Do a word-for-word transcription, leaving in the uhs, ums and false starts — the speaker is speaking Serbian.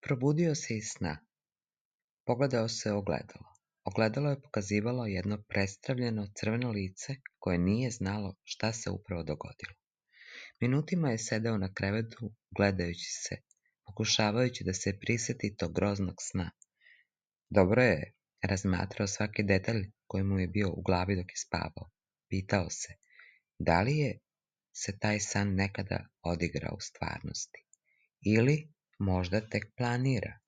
Probudio se iz sna. Pogledao se u ogledalo. Ogledalo je pokazivalo jedno prestravljeno crveno lice koje nije znalo šta se upravo dogodilo. Minutima je sedeo na krevetu gledajući se, pokušavajući da se priseti tog groznog sna. Dobro je razmatrao svaki detalj koji mu je bio u glavi dok je spavao. Pitao se, da li je se taj san nekada odigrao u stvarnosti? Ili možda tek planira?